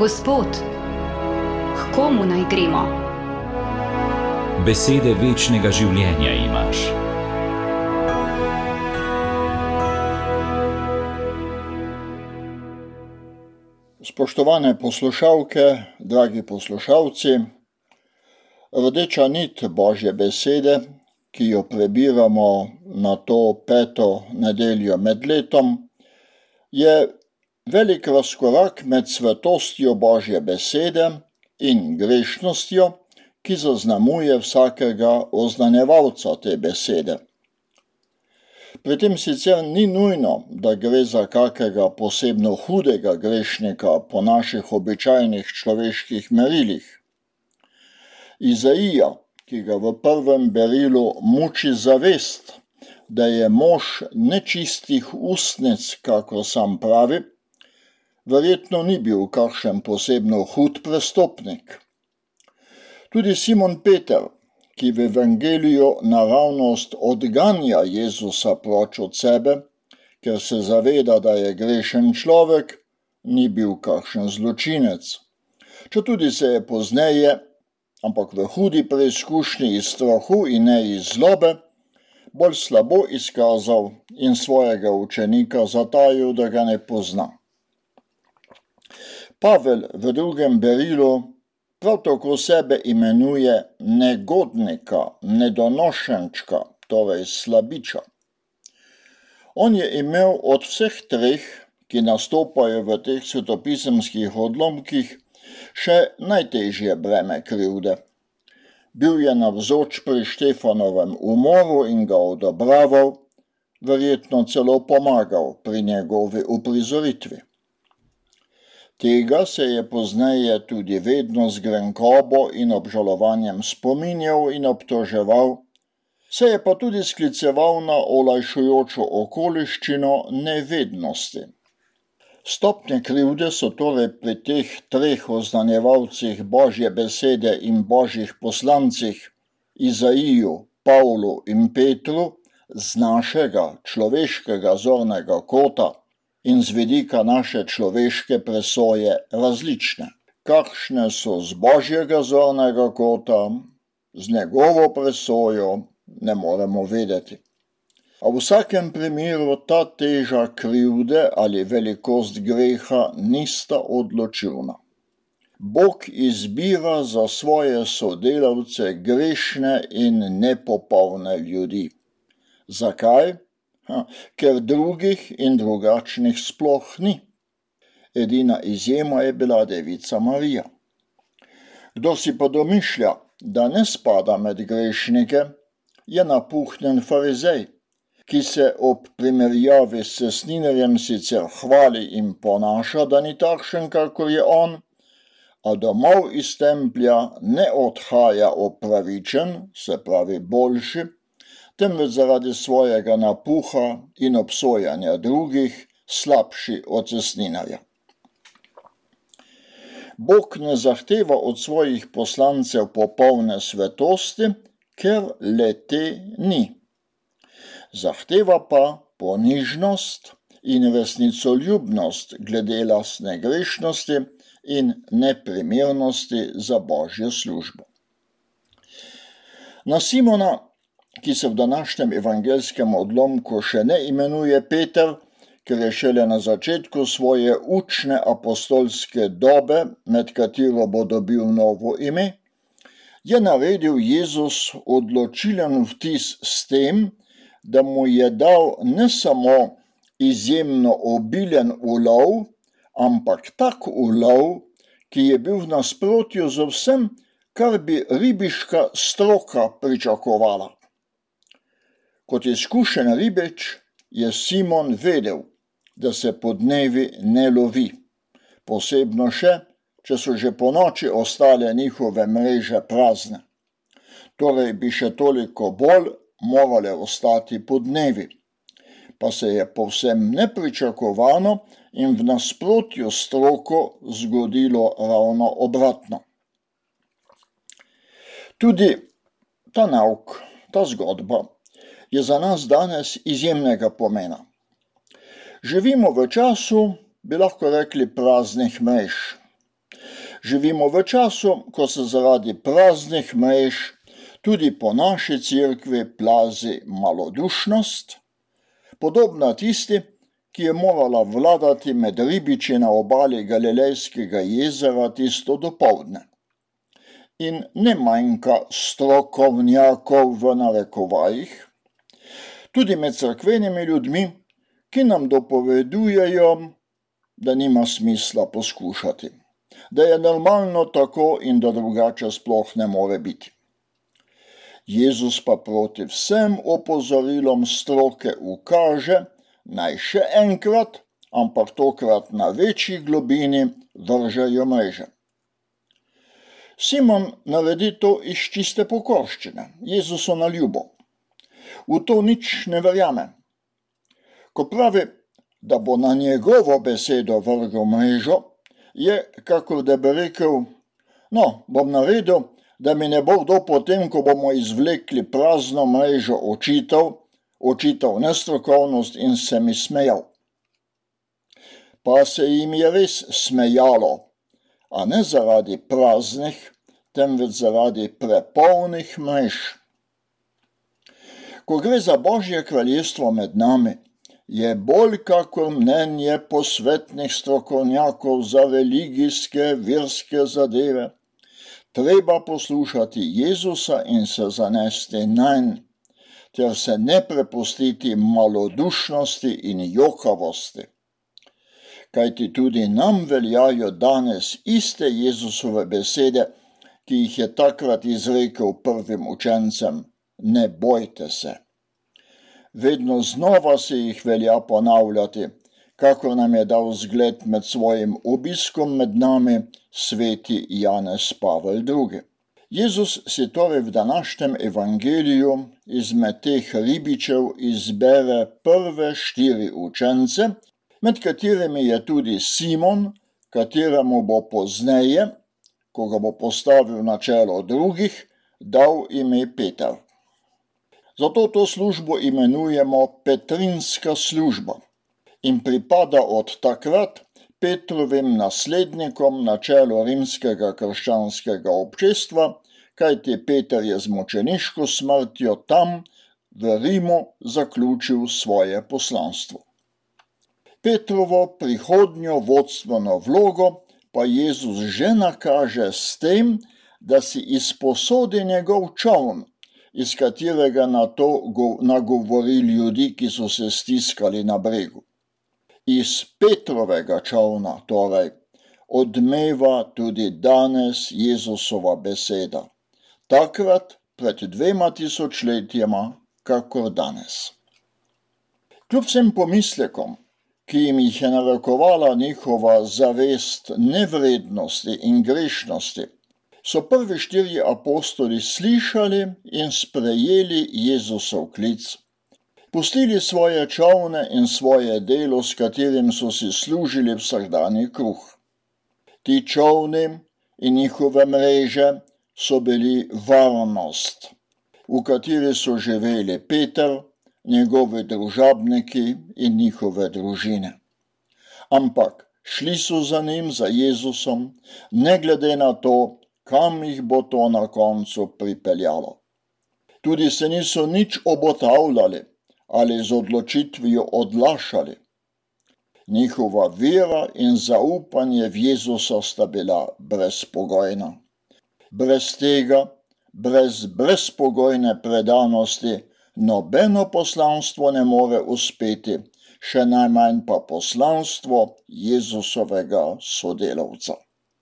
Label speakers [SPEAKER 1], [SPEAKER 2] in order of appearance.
[SPEAKER 1] Gospod, k komu naj gremo?
[SPEAKER 2] Besede večnega življenja imaš.
[SPEAKER 3] Spoštovane poslušalke, dragi poslušalci, rdeča nit Božje besede, ki jo prebiramo na to 5. nedeljo med letom, je velik razkorak med svetostjo Božje besede in grešnostjo, ki zaznamuje vsakega oznanjevalca te besede. Pri tem sicer ni nujno, da gre za kakega posebno hudega grešnika po naših običajnih človeških merilih. Izaija, ki ga v 1. berilu muči zavest, da je mož nečistih ustnic, kakor sam pravi, verjetno ni bil kakšen posebno hud prestopnik. Tudi Simon Peter, ki v evangeliju naravnost odganja Jezusa proč od sebe, ker se zaveda, da je grešen človek, ni bil kakšen zločinec. Četudi se je pozneje, ampak v hudi preizkušnji iz strahu in ne iz zlobe, bolj slabo izkazal in svojega učenika zatajil, da ga ne pozna. Pavel v 2. berilu prav tako sebe imenuje negodnika, nedonošenčka, torej slabiča. On je imel od vseh treh, ki nastopajo v teh svetopisemskih odlomkih, še najtežje breme krivde. Bil je navzoč pri Štefanovem umoru in ga odobraval, verjetno celo pomagal pri njegovi uprizoritvi. Tega se je pozneje tudi vedno z grenkobo in obžalovanjem spominjal in obtoževal, se je pa tudi skliceval na olajšujočo okoliščino nevednosti. Stopnje krivde so torej pri teh treh oznanjevalcih Božje besede in Božjih poslancih, Izaiju, Pavlu in Petru, z našega človeškega zornega kota in z vidika naše človeške presoje različne. Kakšne so z Božjega zornega kota, z njegovo presojo ne moremo vedeti. A v vsakem primeru ta teža krivde ali velikost greha nista odločilna. Bog izbira za svoje sodelavce grešne in nepopolne ljudi. Zakaj? Ker drugih in drugačnih sploh ni. Edina izjema je bila devica Marija. Kdor si pa domišlja, da ne spada med grešnike, je napuhnjen farizej, ki se ob primerjavi s cestninarjem sicer hvali in ponaša, da ni takšen, kakor je on, a domov iz templja ne odhaja opravičen, se pravi boljši, temveč zaradi svojega napuha in obsojanja drugih slabši od cestninarja. Bog ne zahteva od svojih poslancev popolne svetosti, ker le-te ni. Zahteva pa ponižnost in resnicoljubnost glede lastne grešnosti in neprimernosti za Božjo službo. Na Simona, ki se v današnjem evangelskem odlomku še ne imenuje Peter, ker je šele na začetku svoje učne apostolske dobe, med katero bo dobil novo ime, je naredil Jezus odločilen vtis s tem, da mu je dal ne samo izjemno obilen ulov, ampak tak ulov, ki je bil v nasprotju z vsem, kar bi ribiška stroka pričakovala. Kot izkušen ribič je Simon vedel, da se podnevi ne lovi, posebno še, če so že ponoči ostale njihove mreže prazne. Torej bi še toliko bolj morale ostati podnevi, pa se je povsem nepričakovano in v nasprotju s stroko zgodilo ravno obratno. Tudi ta nauk, ta zgodba, je za nas danes izjemnega pomena. Živimo v času, bi lahko rekli, praznih mrež. Živimo v času, ko se zaradi praznih mrež tudi po naši cerkvi plazi malodušnost, podobna tisti, ki je morala vladati med ribiči na obali Galilejskega jezera tisto dopoldne. In ne manjka strokovnjakov v narekovajih, tudi med cerkvenimi ljudmi, ki nam dopovedujejo, da nima smisla poskušati, da je normalno tako in da drugače sploh ne more biti. Jezus pa proti vsem opozorilom stroke ukaže, naj še enkrat, ampak tokrat na večji globini, vržejo mreže. Simon naredi to iz čiste pokorščine, Jezusu na ljubo. V to nič ne verjame. Ko pravi, da bo na njegovo besedo vrgel mrežo, je, kakor da bi rekel, no, bom naredil, da mi ne bo kdo potem, ko bomo izvlekli prazno mrežo, očital nestrokovnost in se mi smejal. Pa se jim je res smejalo, a ne zaradi praznih, temveč zaradi prepolnih mrež. Ko gre za Božje kraljestvo med nami, je bolj kakor mnenje posvetnih strokovnjakov za religijske, verske zadeve, treba poslušati Jezusa in se zanesti nanj, ter se ne prepustiti malodušnosti in jokavosti. Kajti tudi nam veljajo danes iste Jezusove besede, ki jih je takrat izrekel prvim učencem: ne bojte se. Vedno znova se jih velja ponavljati, kakor nam je dal zgled med svojim obiskom med nami sveti Janez Pavel II. Jezus si torej v današnjem evangeliju izmed teh ribičev izbere prve 4 učence, med katerimi je tudi Simon, kateremu bo pozneje, ko ga bo postavil na čelo drugih, dal ime Peter. Zato to službo imenujemo Petrinska služba in pripada od takrat Petrovim naslednikom na čelu rimskega krščanskega občestva, kajti Peter je z mučeniško smrtjo tam v Rimu zaključil svoje poslanstvo. Petrovo prihodnjo vodstveno vlogo pa Jezus že nakaže s tem, da si izposodi njegov čoln, iz katerega nato nagovori ljudi, ki so se stiskali na bregu. Iz Petrovega čolna, torej, odmeva tudi danes Jezusova beseda, takrat pred 2000 letjema, kakor danes. Kljub vsem pomislekom, ki jim jih je narekovala njihova zavest nevrednosti in grešnosti, so prvi 4 apostoli slišali in sprejeli Jezusov klic. Pustili svoje čolne in svoje delo, s katerim so si služili vsakdanji kruh. Ti čolni in njihove mreže so bili varnost, v kateri so živeli Peter, njegovi družabniki in njihove družine. Ampak šli so za njim, za Jezusom, ne glede na to, kam jih bo to na koncu pripeljalo. Tudi se niso nič obotavljali ali z odločitvijo odlašali. Njihova vera in zaupanje v Jezusa sta bila brezpogojna. Brez tega, brez brezpogojne predanosti, nobeno poslanstvo ne more uspeti, še najmanj pa poslanstvo Jezusovega sodelavca.